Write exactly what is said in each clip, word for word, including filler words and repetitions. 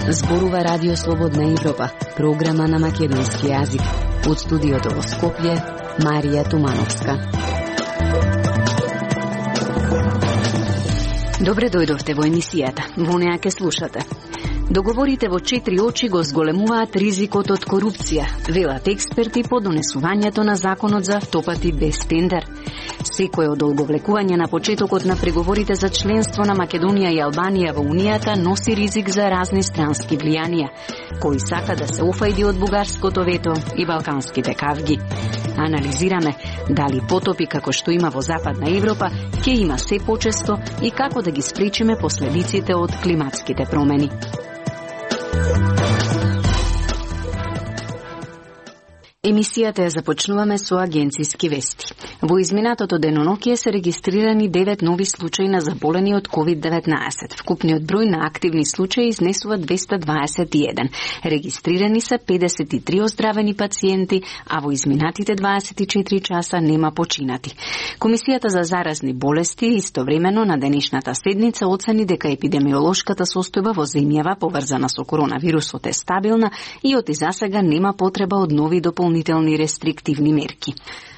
Зборува Радио Слободна Европа, програма на македонски јазик. Од студиото во Скопје, Марија Тумановска. Добре дојдовте во емисијата. Во неа ке слушате. Договорите во четири очи го зголемуваат ризикот од корупција, велат експерти по донесувањето на законот за автопати без тендер. Секое одолговлекување на почетокот на преговорите за членство на Македонија и Албанија во Унијата носи ризик за разни странски влијанија, кои сака да се офајди од бугарското вето и балканските кавги. Анализираме дали потопи како што има во Западна Европа ќе има се почесто и како да ги спречиме последиците од климатските промени. Емисијата ја започнуваме со агенциски вести. Во изминатото денонокие се регистрирани девет нови случаи на заболени од ковид деветнаесет. Вкупниот број на активни случаи изнесува двесте дваесет и еден. Регистрирани се педесет и три оздравени пациенти, а во изминатите дваесет и четири часа нема починати. Комисијата за заразни болести истовремено на денешната седница оцени дека епидемиолошката состојба во земјава поврзана со коронавирусот е стабилна и од засега нема потреба од нови дополнителни рестриктивни мерки.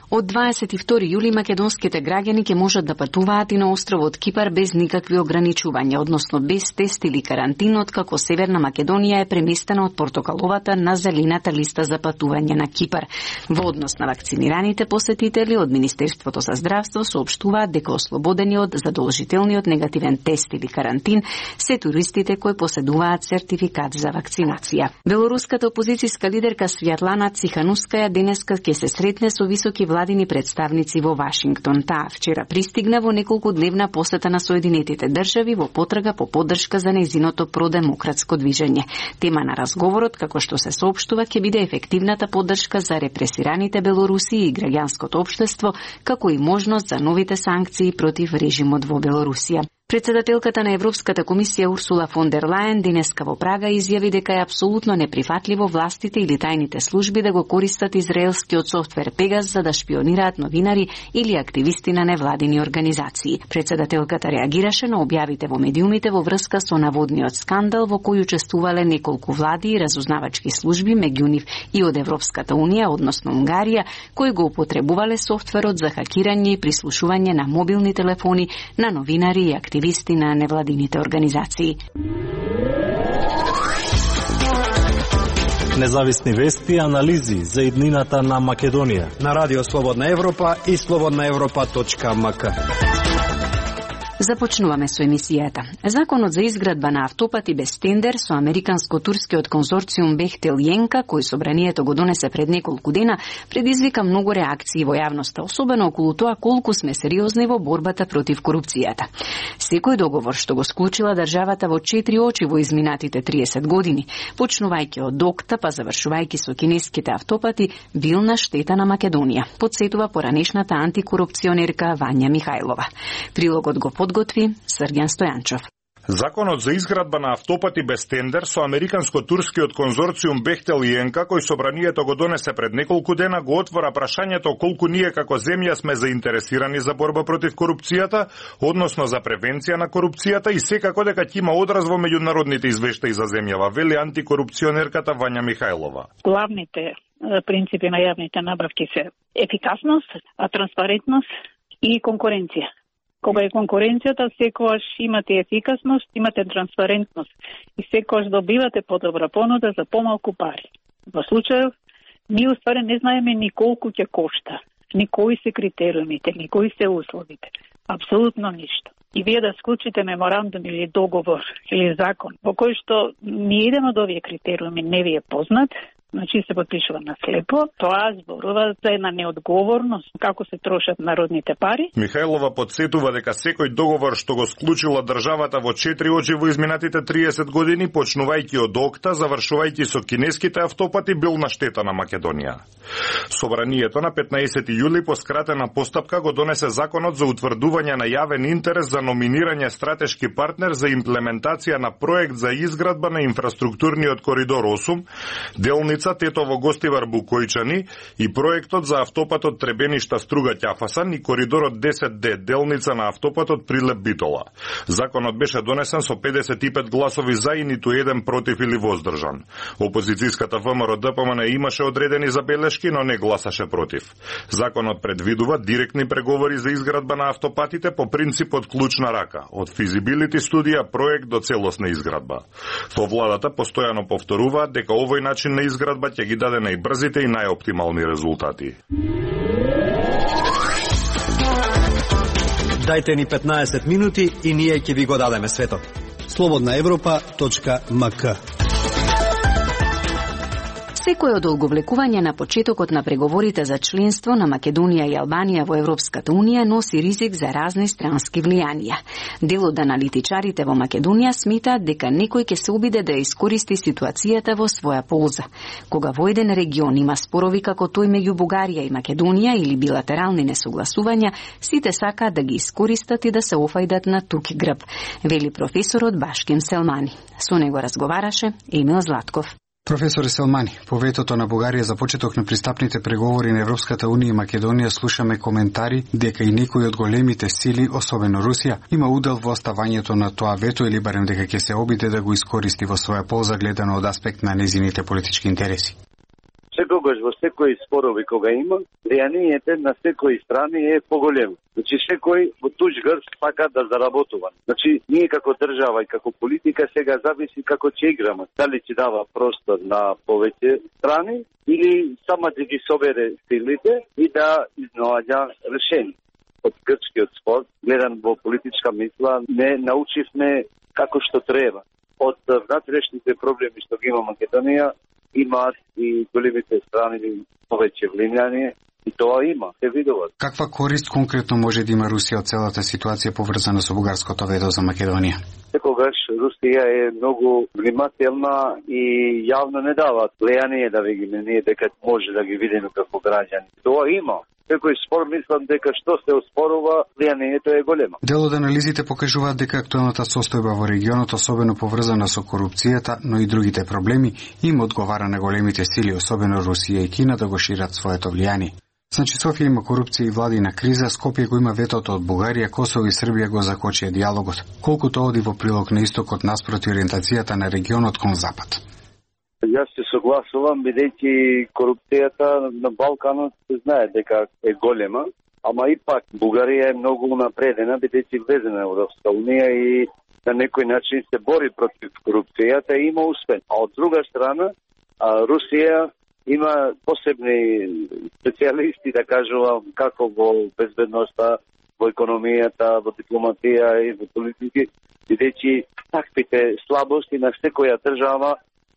Од дваесет и втори јули македонските граѓани ќе можат да патуваат и на островот Кипар без никакви ограничувања, односно без тест или карантин, откако Северна Македонија е преместена од портокаловата на зелената листа за патување на Кипар. Во однос на вакцинираните посетители од Министерството за здравство соопштуваат дека ослободени од задолжителниот негативен тест или карантин се туристите кои поседуваат сертификат за вакцинација. Белоруската опозицијска лидерка Свјатлана Циханускаја денеска ќе се сретне со високи владини представници во Вашингтон. Таа вчера пристигна во неколку дневна посета на Соединетите држави во потрага по поддршка за нејзиното продемократско движење. Тема на разговорот, како што се соопштува, ќе биде ефективната поддршка за репресираните белоруси и граѓанското општество, како и можност за новите санкции против режимот во Белорусија. Председателката на Европската комисија Урсула фон дер Лајен денеска во Прага изјави дека е апсолутно неприфатливо властите или тајните служби да го користат израелскиот софтвер Пегас за да шпионираат новинари или активисти на невладини организации. Председателката реагираше на објавите во медиумите во врска со наводниот скандал во кој учествувале неколку влади и разузнавачки служби, меѓу нив и од Европската унија, односно Унгарија, кои го употребувале софтверот за хакирање и прислушување на мобилни телефони на новинари и активисти активисти на невладините организации. Независни вести и анализи за иднината на Македонија на Радио Слободна Европа и слободна европа точка ем ка. Започнуваме со емисијата. Законот за изградба на автопати без тендер со американско-турскиот конзорциум Бехтел Јенка, кој собранието го донесе пред неколку дена, предизвика многу реакции во јавноста, особено околу тоа колку сме сериозни во борбата против корупцијата. Секој договор што го склучила државата во четири очи во изминатите триесет години, почнувајќи од ДОКТА па завршувајќи со кинеските автопати, бил на штета на Македонија, подсетува поранешната антикорупционерка Вања Михајлова. Прилогот го подготви Срѓан Стојанчов. Законот за изградба на автопати без тендер со американско-турскиот конзорциум Бехтел Јенка, кој собранието го донесе пред неколку дена, го отвора прашањето колку ние како земја сме заинтересирани за борба против корупцијата, односно за превенција на корупцијата и секако дека ќе има одраз во меѓународните извештаи за земјава, вели антикорупционерката Вања Михајлова. Главните принципи на јавните набавки се ефикасност, транспарентност и конкуренција. Кога е конкуренцијата, секогаш имате ефикасност, имате транспарентност и секогаш добивате подобра понуда за помалку пари. Во случајов, ние уствари не знаеме ни колку ќе кошта, ни кои се критериумите, ни кои се условите. Апсолутно ништо. И вие да склучите меморандум или договор или закон, во кој што ни еден од овие критериуми не ви е познат, значи се подпишува на слепо, тоа зборува за една неодговорност како се трошат народните пари. Михајлова подсетува дека секој договор што го склучила државата во четири очи во изминатите триесет години, почнувајќи од ОКТА, завршувајќи со кинеските автопати, бил на штета на Македонија. Собранието на петнаесети јули по скратена постапка го донесе законот за утврдување на јавен интерес за номинирање стратешки партнер за имплементација на проект за изградба на инфраструктурниот коридор осум, делница Ивица Тетово Гостивар Букојчани и проектот за автопатот Требеништа Струга Ќафасан и коридорот десет Д делница на автопатот Прилеп Битола. Законот беше донесен со педесет и пет гласови за и ниту еден против или воздржан. Опозицијската ВМРО Д П М Н имаше одредени забелешки, но не гласаше против. Законот предвидува директни преговори за изградба на автопатите по принципот клуч на рака, од физибилити студија проект до целосна изградба. Во владата постојано повторуваат дека овој начин на изградба ќе ги даде најбрзите и најоптимални резултати. Дајте ни петнаесет минути и ние ќе ви го дадеме светот. слободна европа точка м к. Секој одолговлекување на почетокот на преговорите за членство на Македонија и Албанија во Европската Унија носи ризик за разни странски влијанија. Дел од аналитичарите во Македонија смитаат дека некој ќе се обиде да искористи ситуацијата во своја полза. Кога во еден регион има спорови како тој меѓу Бугарија и Македонија или билатерални несогласувања, сите сакаат да ги искористат и да се офајдат на тук грб, вели професорот Башким Селмани. Со него разговараше Емил Златков. Професор Селмани, по ветото на Бугарија за почеток на пристапните преговори на Европската Унија и Македонија слушаме коментари дека и некои од големите сили, особено Русија, има удел во оставањето на тоа вето или барем дека ќе се обиде да го искористи во своја полза гледано од аспект на незините политички интереси. Секогаш во секои спорови кога има, влијанието на секои страни е поголемо. Значи секој во туѓ грб сака да заработува. Значи ние како држава и како политика сега зависи како ќе играме. Дали ќе дава простор на повеќе страни или сама да ги собере силите и да изнаоѓа решение. Од грчкиот спор, гледан во политичка мисла, не научивме како што треба. Од внатрешните проблеми што ги има Македонија, имаат и големите страни повеќе влијание и тоа има, се видува. Каква корист конкретно може да има Русија од целата ситуација поврзана со бугарското вето за Македонија? Секогаш Русија е многу внимателна и јавно не дават влијание да ви ги ние дека може да ги видиме како граѓани. Тоа има. Секој спор мислам дека што се оспорува, влијанието е големо. Дел од анализите покажуваат дека актуелната состојба во регионот, особено поврзана со корупцијата, но и другите проблеми, им одговара на големите сили, особено Русија и Кина, да го шират своето влијание. Значи Софија има корупција и владина криза, Скопје го има ветото од Бугарија, Косово и Србија го закочија диалогот. Колку тоа оди во прилог на истокот наспроти ориентацијата на регионот кон запад? Јас се согласувам, бидејќи корупцијата на Балканот се знае дека е голема, ама ипак Бугарија е многу напредена, бидејќи влезена во Европска Унија и на некој начин се бори против корупцијата и има успех. А од друга страна, Русија има посебни специјалисти, да кажувам, како во безбедноста, во економијата, во дипломатија и во политики, бидејќи таквите слабости на секоја држава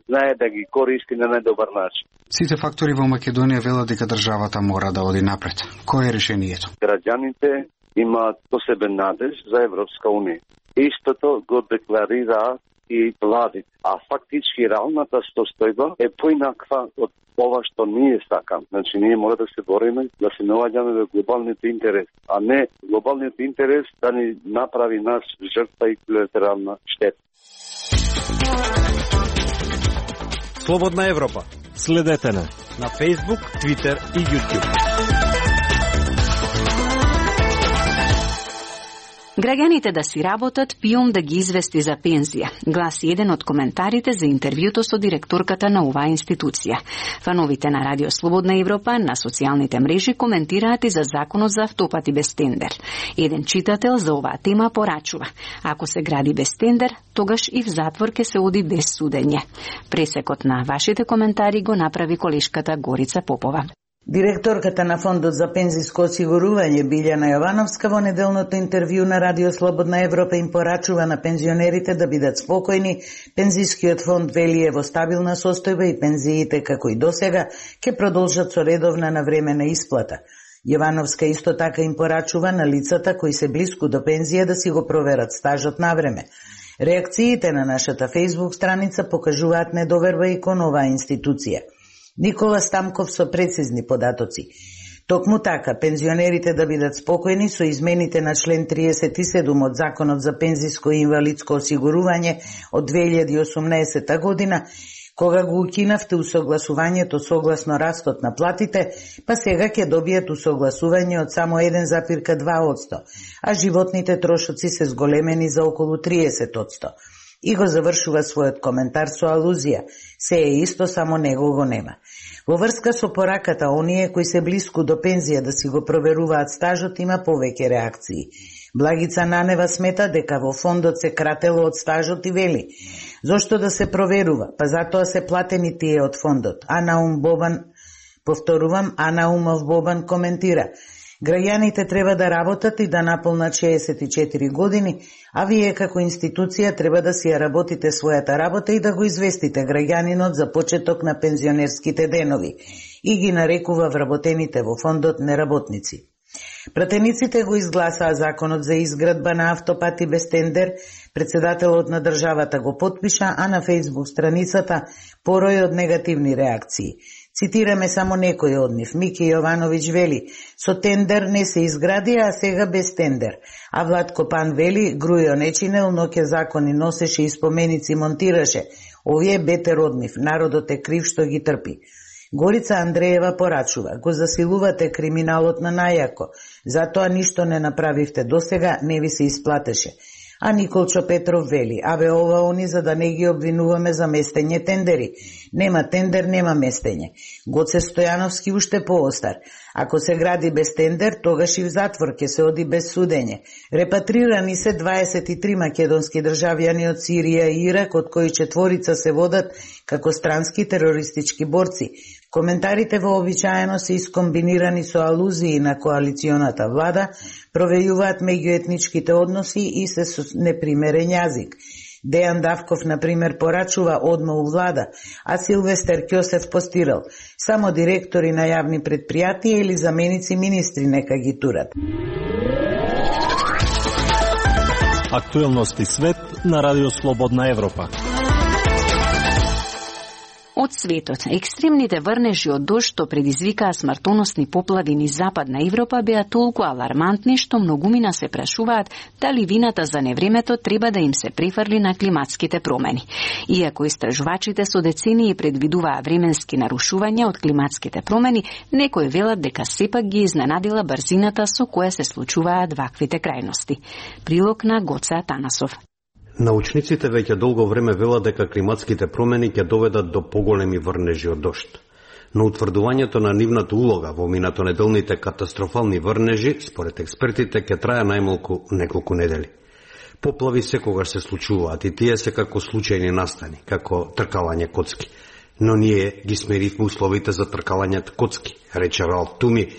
знае да ги користи на најдобар начин. Сите фактори во Македонија велат дека државата мора да оди напред. Кој е решението? Граѓаните имаат посебен надеж за Европска Унија. Истото го декларира и владите. А фактички реалната состојба е поинаква од ова што ние сакам. Значи ние мора да се бориме, да се наоѓаме во глобалниот интерес, а не глобалниот интерес да ни направи нас жртва и колатерална штета. Слободна Европа. Следете на на Facebook, Twitter и YouTube. Граѓаните да си работат, ПИОМ да ги извести за пензија, гласи еден од коментарите за интервјуто со директорката на оваа институција. Фановите на Радио Слободна Европа на социјалните мрежи коментираат и за законот за автопати без тендер. Еден читател за оваа тема порачува: ако се гради без тендер, тогаш и в затвор ке се оди без судење. Пресекот на вашите коментари го направи колешката Горица Попова. Директорката на Фондот за пензиско осигурување Билјана Јовановска во неделното интервју на Радио Слободна Европа им порачува на пензионерите да бидат спокојни. Пензискиот фонд вели е во стабилна состојба и пензиите како и досега ќе продолжат со редовна навремена исплата. Јовановска исто така им порачува на лицата кои се блиску до пензија да си го проверат стажот на време. Реакциите на нашата Facebook страница покажуваат недоверба и кон оваа институција. Никола Стамков со прецизни податоци. Токму така, пензионерите да бидат спокојни со измените на член триесет и седум од Законот за пензиско и инвалидско осигурување од две илјади и осумнаесета година, Кога го укинавте усогласувањето согласно растот на платите, па сега ќе добијат усогласување од само еден запирка два одсто, а животните трошоци се зголемени за околу триесет одсто. И го завршува својот коментар со алузија: се е исто, само него го нема. Во врска со пораката оние кои се блиску до пензија да си го проверуваат стажот, има повеќе реакции. Благица Нанева смета дека во фондот се кратело од стажот и вели: зошто да се проверува? Па затоа се платени тие од фондот. А Наум Бобан, повторувам, А Наумов Бобан коментира: граѓаните треба да работат и да наполнат шеесет и четири години, а вие како институција треба да си ја работите својата работа и да го известите граѓанинот за почеток на пензионерските денови, и ги нарекува вработените во фондот неработници. Пратениците го изгласаа законот за изградба на автопати без тендер, председателот на државата го потпиша, а на фејсбук страницата порој од негативни реакции. Цитираме само некој од нив. Мики Јовановиќ вели: со тендер не се изгради, а сега без тендер. А Владко Пан вели: Грујо не чинел, но ке закони носеше и споменици монтираше. Овие бетер од нив. Народот е крив што ги трпи. Горица Андреева порачува: го засилувате криминалот на најако, затоа ништо не направивте досега, не ви се исплатеше. А Николчо Петров вели: абе ова они за да не ги обвинуваме за местење тендери. Нема тендер, нема местење. Гоце Стојановски уште поостар: ако се гради без тендер, тогаш и в затвор ќе се оди без судење. Репатрирани се дваесет и три македонски државјани од Сирија и Ирак, од кои четворица се водат како странски терористички борци. Коментарите вообичаено се искомбинирани со алузии на коалиционата влада, провејуваат меѓуетничките односи и се со непримерен јазик. Дејан Давков, например, порачува одма у влада, а Силвестер Ќосев постирал: само директори на јавни предпријатија или заменици министри нека ги турат. Актуелности свет на Радио Слободна Европа. Од светот, екстремните врнежи од дожд што предизвикаа смртоносни поплави низ Западна Европа беа толку алармантни што многумина се прашуваат дали вината за невремето треба да им се префрли на климатските промени. Иако истражувачите со децении предвидуваа временски нарушувања од климатските промени, некои велат дека сепак ги изненадила брзината со која се случуваат ваквите крајности. Прилог на Гоце Атанасов. Научниците веќе долго време велат дека климатските промени ќе доведат до поголеми врнежи од дожд. Но утврдувањето на нивната улога во минатонеделните катастрофални врнежи, според експертите, ќе трае најмалку неколку недели. Поплави секогаш се случуваат и тие се како случајни настани, како тркалање коцки. Но ние ги смеривме условите за тркалањето коцки, рече Ралф Туми,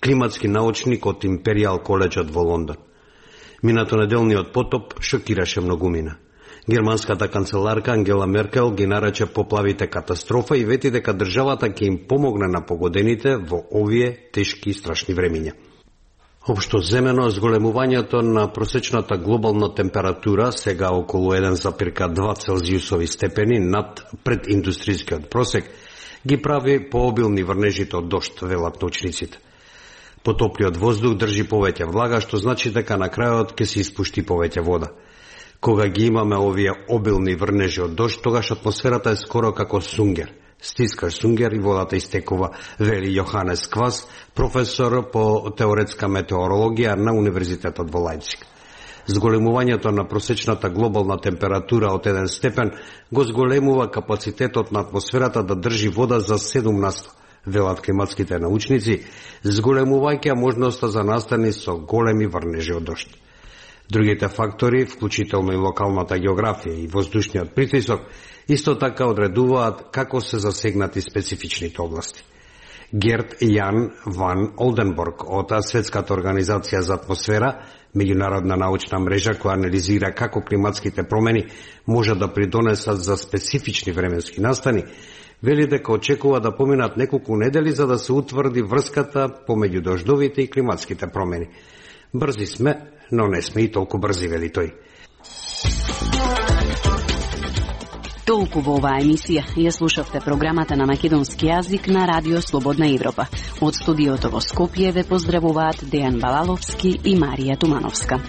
климатски научник од Империјал колеџот во Лондон. Минатонеделниот потоп шокираше многумина. Германската канцеларка Ангела Меркел ги нарече поплавите катастрофа и вети дека државата ќе им помогне на погодените во овие тешки и страшни времиња. Општо земено, зголемувањето на просечната глобална температура, сега околу еден зарез два целзиусови степени над прединдустријскиот просек, ги прави пообилни врнежите од дожд, велат научниците. Потоплиот воздух држи повеќе влага, што значи дека на крајот ќе се испушти повеќе вода. Кога ги имаме овие обилни врнежи од дожд, тогаш атмосферата е скоро како сунгер. Стискаш сунгер и водата истекува, вели Јоханес Квас, професор по теоретска метеорологија на Универзитетот во Лајпциг. Зголемувањето на просечната глобална температура од еден степен го зголемува капацитетот на атмосферата да држи вода за седум на сто. Велат климатските научници, зголемувајќи можноста за настани со големи врнежи од дожд. Другите фактори, вклучително и локалната географија и воздушниот притисок, исто така одредуваат како се засегнати специфичните области. Герт Јан ван Олденборг од Светската организација за атмосфера, меѓународна научна мрежа која анализира како климатските промени може да придонесат за специфични временски настани, вели дека очекува да поминат неколку недели за да се утврди врската помеѓу дождовите и климатските промени. Брзи сме, но не сме и толку брзи, вели тој. Толку во оваа емисија. Ја слушавте програмата на македонски јазик на Радио Слободна Европа. Од студиото во Скопје ве поздравуваат Дејан Балаловски и Марија Тумановска.